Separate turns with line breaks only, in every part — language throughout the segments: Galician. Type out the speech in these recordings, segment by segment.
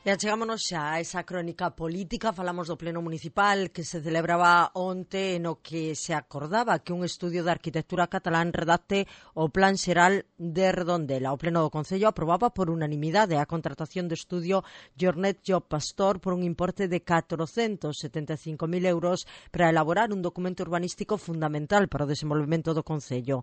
E achegámonos xa a esa crónica política. Falamos do pleno municipal que se celebraba onte, no que se acordaba que un estudio de arquitectura catalán redacte o plan xeral de Redondela. O pleno do Concello aprobaba por unanimidade a contratación do estudio Jornet Job Pastor por un importe de 475.000 euros para elaborar un documento urbanístico fundamental para o desenvolvemento do Concello.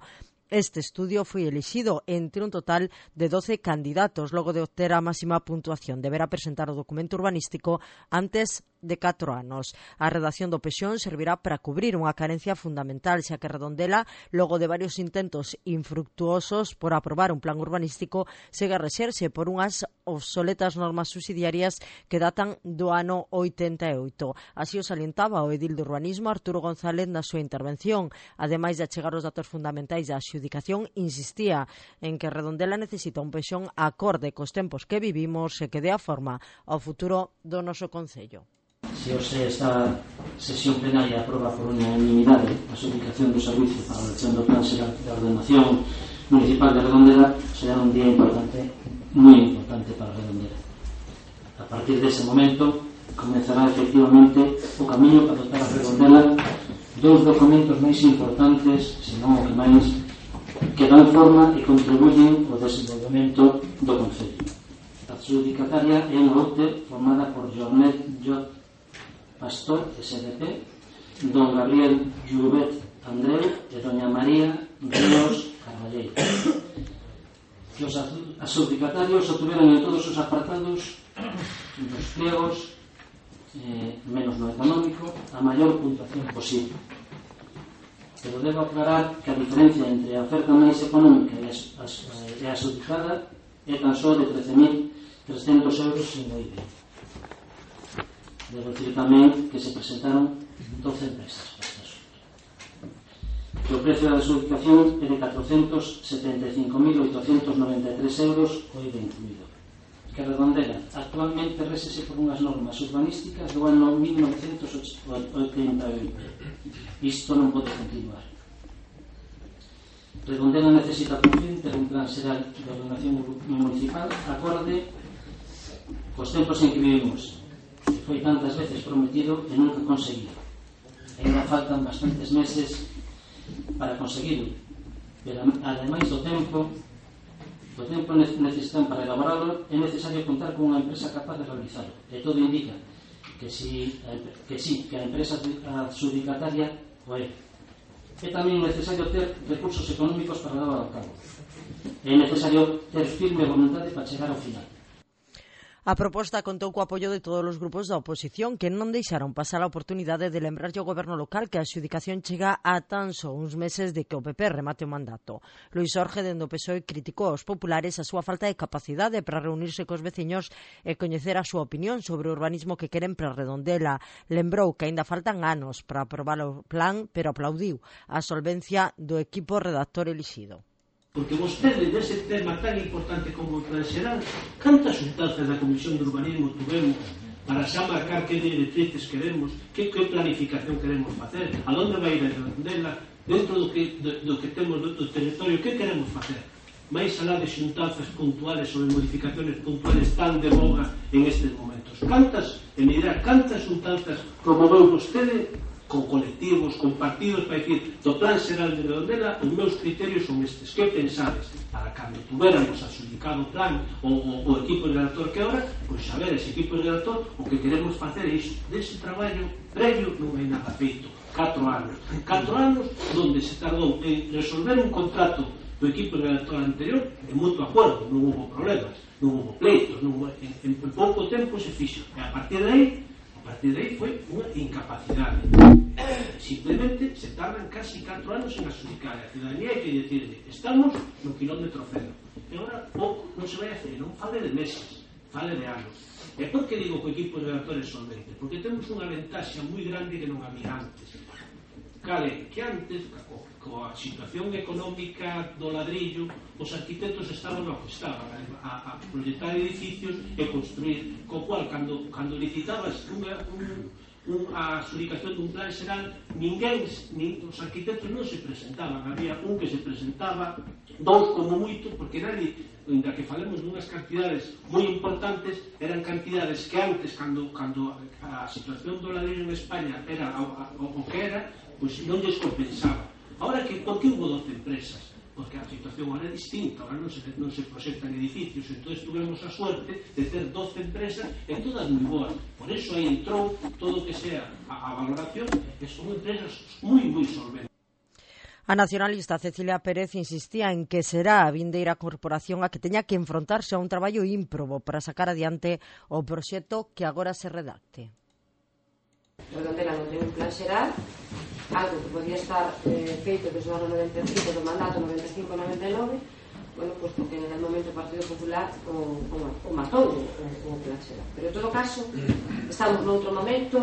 Este estudio foi elixido entre un total de 12 candidatos. Logo de obter a máxima puntuación, deberá presentar o documento urbanístico antes de 4 anos. A redacción do PEXón servirá para cubrir unha carencia fundamental, xa que Redondela, logo de varios intentos infructuosos por aprobar un plan urbanístico, segue a rexerse por unhas obsoletas normas subsidiarias que datan do ano 88. Así o salientaba o edil de urbanismo Arturo González na súa intervención. Ademais de achegar os datos fundamentais da adxudicación, insistía en que Redondela necesita un PEXón acorde cos tempos que vivimos e que dé a forma ao futuro do noso Concello.
Se hoxe esta sesión plenaria aproba por unanimidade a adxudicación do servicio para a elección do plan xeral de ordenación municipal de Redondela, será un día importante, moi importante para Redondela. A partir dese momento comenzará efectivamente o camiño para dotar a Redondela dos documentos máis importantes, senón o que máis, que dan forma e contribuyen ao desenvolvemento do Concello. A adxudicataria é unha OTE formada por Jornet Job Pastor, SDP, don Gabriel Llubet Andreu e doña María Ríos Carballeiro. Que os adxudicatarios obtuveron en todos os apartados dos pliegos, menos no económico, a maior puntuación posible. Pero debo aclarar que a diferencia entre a oferta máis económica e a adxudicada é tan só de 13.300 euros sin o IBI. Debo dicir tamén que se presentaron 12 empresas para este asunto. Que o precio da adxudicación é de 475.893 euros o IBI incluído. Que Redondela actualmente résese por unhas normas urbanísticas do ano 1988. Isto non pode continuar. Redondela necesita por fin ter un plan xeral de ordenación municipal acorde cos tempos en que vivimos, que foi tantas veces prometido e nunca conseguido. Ainda faltan bastantes meses para conseguirlo, pero ademais do tempo necesitan para elaborarlo, é necesario contar con unha empresa capaz de realizarlo. E todo indica que a empresa adxudicataria o é. É tamén necesario ter recursos económicos para levar ao cabo. É necesario ter firme voluntade para chegar ao final.
A proposta contou co apoio de todos os grupos da oposición, que non deixaron pasar a oportunidade de lembrarlle ao goberno local que a adxudicación chega a tan só uns meses de que o PP remate o mandato. Luís Orge, dende o PSOE, criticou aos populares a súa falta de capacidade para reunirse cos veciños e coñecer a súa opinión sobre o urbanismo que queren para Redondela. Lembrou que aínda faltan anos para aprobar o plan, pero aplaudiu a solvencia do equipo redactor elixido.
Porque vostede, dese tema tan importante como o plan xeral, cantas xuntanzas da Comisión de Urbanismo tuvemos para xa marcar que directrices queremos, que planificación queremos facer, a onde vai ir a Redondela, dentro do que temos do territorio, que queremos facer? Mais alá de xuntanzas puntuales ou de modificaciones puntuales tan de boga en estes momentos. Cantas, e me dirá, cantas xuntanzas promoveu vostede con colectivos, con partidos, para dicir, do plan xeral de Redondela, os meus criterios son estes. Que pensades? Para cando tuveramos adxudicado o plan o equipo redactor que ahora, pois saber ese equipo redactor o que queremos facer é iso. Dese traballo previo non hai nada feito. 4 anos. 4 anos onde se tardou en resolver un contrato do equipo redactor anterior en moito acordo, non hubo problemas, non hubo pleitos, en pouco tempo se fixo. E a partir de aí foi unha incapacidade. Simplemente se tardan casi 4 anos en adxudicar. A ciudadanía hai que decirle, estamos no kilómetro cero. E agora pouco non se vai a hacer, non fale de meses, fale de anos. E por que digo que o equipo de redactores solvente? Porque temos unha ventaxa moi grande que non había antes. Cale, que antes, coa situación económica do ladrillo, os arquitectos estaban no que estaban a proyectar edificios e construir, co cual, cando licitabas a adjudicación dun plan xeral, ninguén, os arquitectos non se presentaban, había un que se presentaba, dous como moito, porque nadie, ainda que falemos dunhas cantidades moi importantes, eran cantidades que antes, cando a situación do ladrillo en España era o que era, pois non lles compensaba. Ahora, por que hubo 12 empresas? Porque a situación ahora é distinta, ahora non se proxectan edificios, entón tuvemos a suerte de ter 12 empresas e todas moi boas. Por eso aí entrou todo o que sea a valoración, que son empresas moi solventes.
A nacionalista Cecilia Pérez insistía en que será a vindeira corporación a que teña que enfrontarse a un traballo ímprobo para sacar adiante o proxecto que agora se redacte.
Redondela non ten un plan xeral, algo que podía estar feito desde o ano 95 do mandato 95-99, bueno, pues porque en el momento o Partido Popular o matou o plan xeral. Pero en todo caso, estamos noutro momento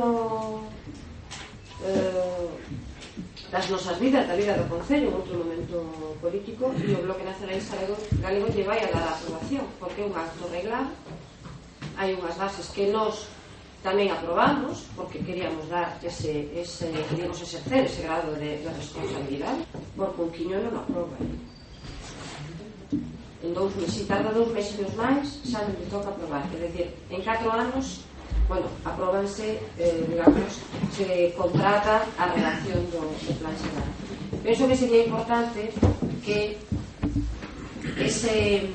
das nosas vidas, da vida do Concello, outro momento político, e o Bloque Nacionalista Galego lle vai a dar a aprobación, porque é un acto reglado, hai unhas bases que nós tamén aprobamos, porque queríamos dar queríamos exercer ese grado de responsabilidade, porque un quiño non aproba. En 2 meses, se tarda 2 meses máis, xa non lle toca aprobar. É dicir, en 4 anos, bueno, apróbanse, digamos, se contrata a redacción do plan xeral. Penso que sería importante que ese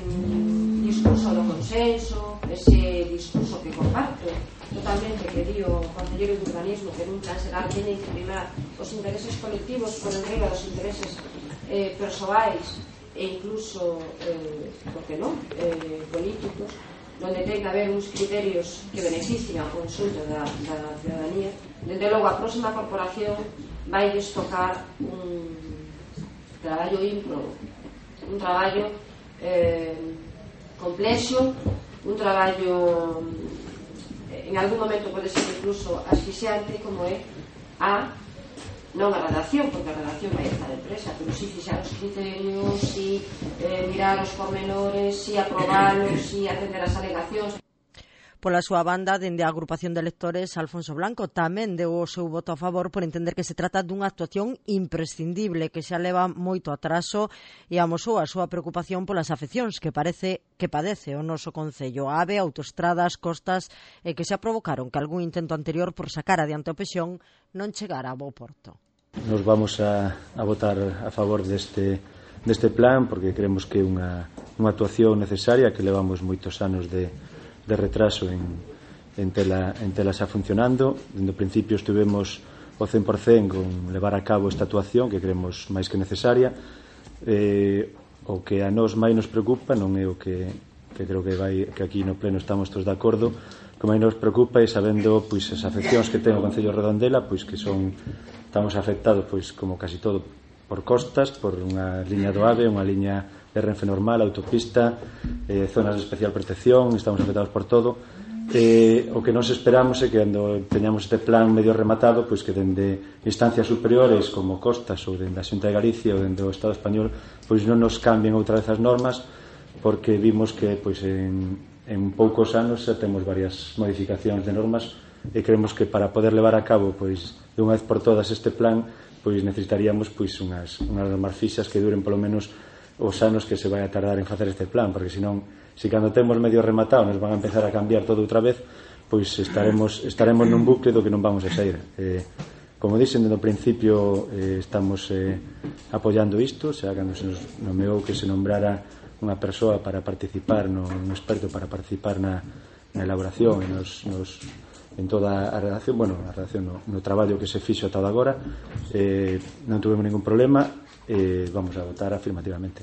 discurso do consenso, ese discurso que comparto totalmente, que di o Concelleiro de Urbanismo, que nun plan xeral teñen que primar os intereses colectivos por enriba dos intereses persoais e incluso, por que non, políticos, donde ten que haber uns criterios que beneficien ao consulto da ciudadanía. Desde logo, a próxima corporación vai tocar un traballo ímprobo, un traballo complexo, un traballo en algún momento pode ser incluso asfixiante, como é non a redacción, porque a redacción vai estar empresa, pero si fixar os criterios, si mirar os pormenores, si aprobalos, si atender as alegacións.
Pola súa banda, dende a agrupación de electores, Alfonso Blanco tamén deu o seu voto a favor por entender que se trata dunha actuación imprescindible que xa leva moito atraso e amosou a súa preocupación polas afeccións que parece que padece o noso concello, AVE, autoestradas, costas e que xa provocaron que algún intento anterior por sacar adiante o Pexón non chegara a bo porto.
Nos vamos a votar a favor deste plan porque creemos que é unha actuación necesaria que levamos moitos anos de retraso en tela xa funcionando. Dende o principio estivemos o 100% con levar a cabo esta actuación que creemos máis que necesaria. O que a nós máis nos preocupa non é o que creo que aquí no pleno estamos todos de acordo, o que máis nos preocupa é sabendo pois as afeccións que ten o Concello de Redondela, pois que estamos afectados pois como casi todo por costas, por unha liña do AVE, unha liña de Renfe normal, autopista, zonas de especial protección, estamos afectados por todo. O que nos esperamos é que cando teñamos este plan medio rematado, pois que dende instancias superiores como Costas ou dende a Xunta de Galicia ou dende o Estado español, pois non nos cambien outra vez as normas, porque vimos que pois en poucos anos xa temos varias modificacións de normas e creemos que para poder levar a cabo pois de unha vez por todas este plan, pois necesitaríamos pois unhas normas fixas que duren polo menos os anos que se vai a tardar en facer este plan, porque senón, se cando temos medio rematado nos van a empezar a cambiar todo outra vez, pois estaremos nun bucle do que non vamos a sair. Como dixen, desde o principio estamos apoiando isto, xa cando se nos nomeou que se nombrara unha persoa para participar, un experto para participar na elaboración e en toda a redacción, no traballo que se fixo ata agora, non tuvemos ningún problema. Vamos a votar afirmativamente.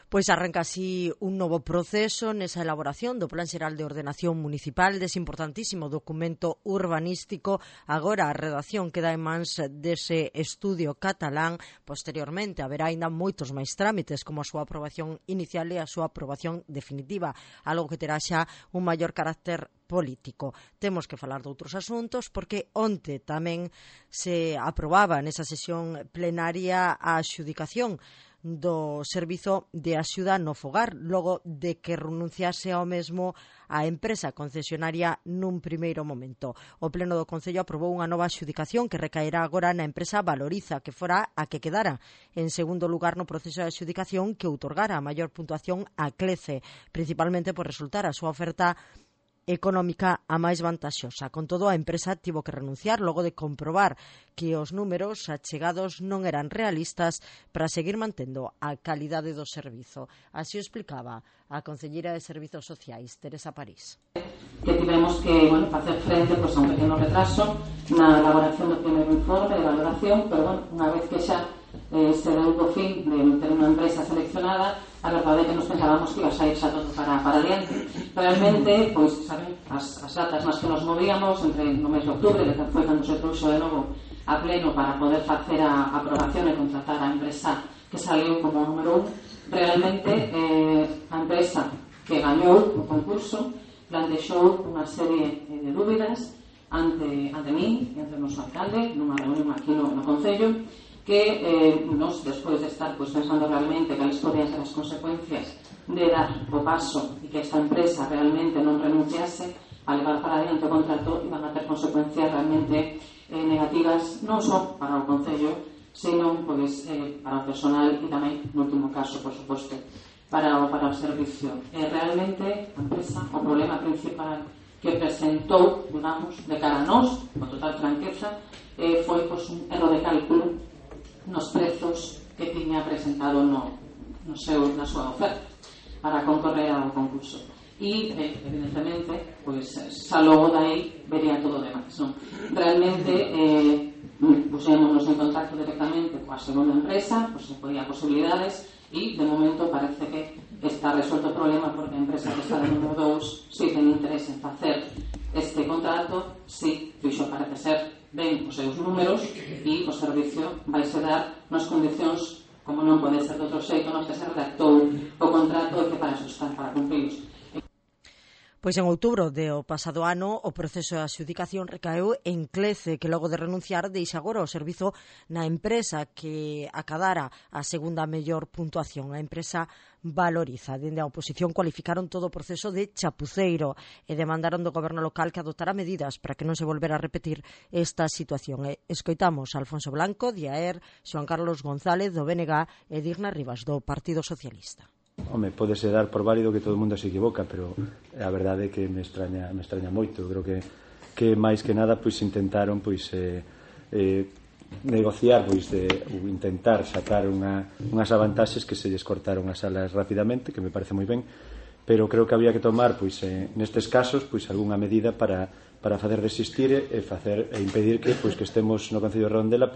Pois arranca así un novo proceso nesa elaboración do Plan Xeral de Ordenación Municipal, dese importantísimo documento urbanístico. Agora a redacción queda en mans dese estudio catalán. Posteriormente haberá aínda moitos máis trámites, como a súa aprobación inicial e a súa aprobación definitiva, algo que terá xa un maior carácter político. Temos que falar de outros asuntos porque onte tamén se aprobaba nesa sesión plenaria a adxudicación do servizo de axuda no fogar, logo de que renunciase ao mesmo a empresa concesionaria nun primeiro momento. O Pleno do Concello aprobou unha nova adxudicación que recaerá agora na empresa Valoriza, que fora a que quedara en segundo lugar no proceso de adxudicación, que outorgara a maior puntuación a Clece, principalmente por resultar a súa oferta económica a máis vantaxosa. Con todo, a empresa tivo que renunciar logo de comprobar que os números achegados non eran realistas para seguir mantendo a calidade do servizo. Así o explicaba a concelleira de Servizos Sociais, Teresa París.
Que tivemos que facer frente a un pequeno retraso na elaboración do primeiro informe de valoración, pero unha vez que xa se deu o fin de ter unha empresa seleccionada, a verdade é que nos pensábamos que iba a sair xa todo para adiante. Realmente, pois, saben, as datas nas que nos movíamos entre no mes de outubro, que foi cando se trouxo de novo a pleno para poder facer a aprobación e contratar a empresa que saliu como número 1, realmente a empresa que gañou o concurso plantexou unha serie de dúbidas ante min e ante o noso alcalde nunha reunión aquí no Concello, que nos, despois de estar pensando realmente cales podían ser as consecuencias de dar o paso e que esta empresa realmente non renunciase a levar para adiante o contrato, iban a ter consecuencias realmente negativas non só para o Concello, sino para o personal e tamén, no último caso, por suposto, para o servicio. Realmente, a empresa, o problema principal que presentou, digamos, de cara a nós, con total franqueza, foi un erro de cálculo nos prezos que tiña presentado na súa oferta para concorrer ao concurso. E, evidentemente, xa logo dai vería todo o demais, non? Realmente, pusémonos en contacto directamente coa segunda empresa, se podía posibilidades, e, de momento, parece que está resuelto o problema porque a empresa que está de número 2 si ten interés en facer este contrato, si fixo parece ser ben os seus números e o servicio vai se dar nas condicións como non pode ser de outro xeito nos que se redactou o contrato e que para eso están, para cumprilos.
Pois en outubro do pasado ano o proceso de adxudicación recaeu en Clece, que logo de renunciar deixa agora o servizo na empresa que acadara a segunda mellor puntuación, a empresa Valoriza. Dende a oposición cualificaron todo o proceso de chapuceiro e demandaron do goberno local que adoptara medidas para que non se volvera a repetir esta situación. Escoitamos a Alfonso Blanco, de AER, Xoan Carlos González, do BNG, e Digna Rivas, do Partido Socialista.
Home, pódese dar por válido que todo o mundo se equivoca, pero a verdade é que me extraña moito. Eu creo que máis que nada intentaron negociar, intentar sacar unhas avantaxes que se lles cortaron as alas rapidamente, que me parece moi ben, pero creo que había que tomar nestes casos algunha medida para facer desistir e impedir que estemos no Concello de Redondela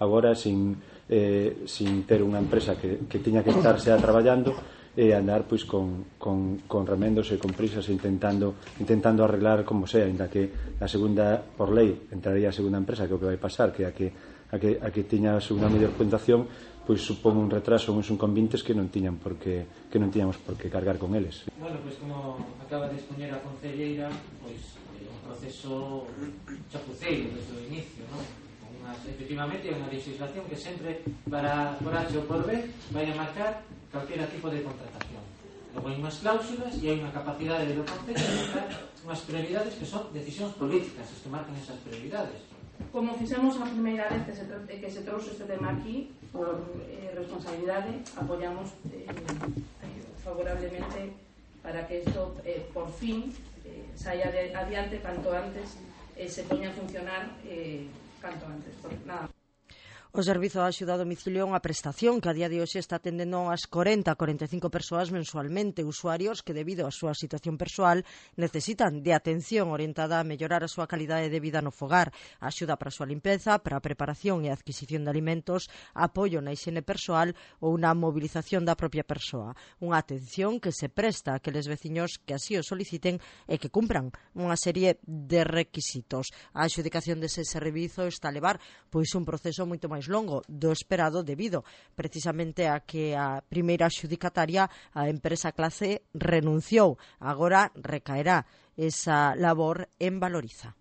agora sin ter unha empresa que tiña que estar xa traballando e andar con remendos e con prisas intentando arreglar como sea, ainda que a segunda, por lei, entraría a segunda empresa, que é o que vai pasar, que a que tiña a segunda mellor puntuación supón un retraso, uns inconvenientes que non tiñamos por que cargar con eles.
Bueno, como acaba de expoñer a concelleira, un proceso chapuceiro desde o inicio, non? Efectivamente é unha legislación que sempre por H ou por B vai a marcar calquera tipo de contratación. Logo hai unhas cláusulas e hai unha capacidade do Concello de marcar unhas prioridades que son decisións políticas, que marcan esas prioridades.
Como fixemos a primeira vez que se trouxe este tema aquí, por responsabilidade, apoiamos favorablemente para que isto por fin saia adiante canto antes se poña a funcionar canto antes, nada.
O Servizo de Axuda a Domicilio é unha prestación que a día de hoxe está atendendo as 40-45 persoas mensualmente, usuarios que debido á súa situación persoal necesitan de atención orientada a mellorar a súa calidade de vida no fogar, axuda para a súa limpeza, para a preparación e adquisición de alimentos, apoio na higiene persoal ou na mobilización da propia persoa. Unha atención que se presta a aqueles veciños que así o soliciten e que cumpran unha serie de requisitos. A adxudicación dese servizo está a levar un proceso moito máis longo do esperado debido precisamente a que a primeira adxudicataria, a empresa Clece, renunciou. Agora recaerá esa labor en Valoriza.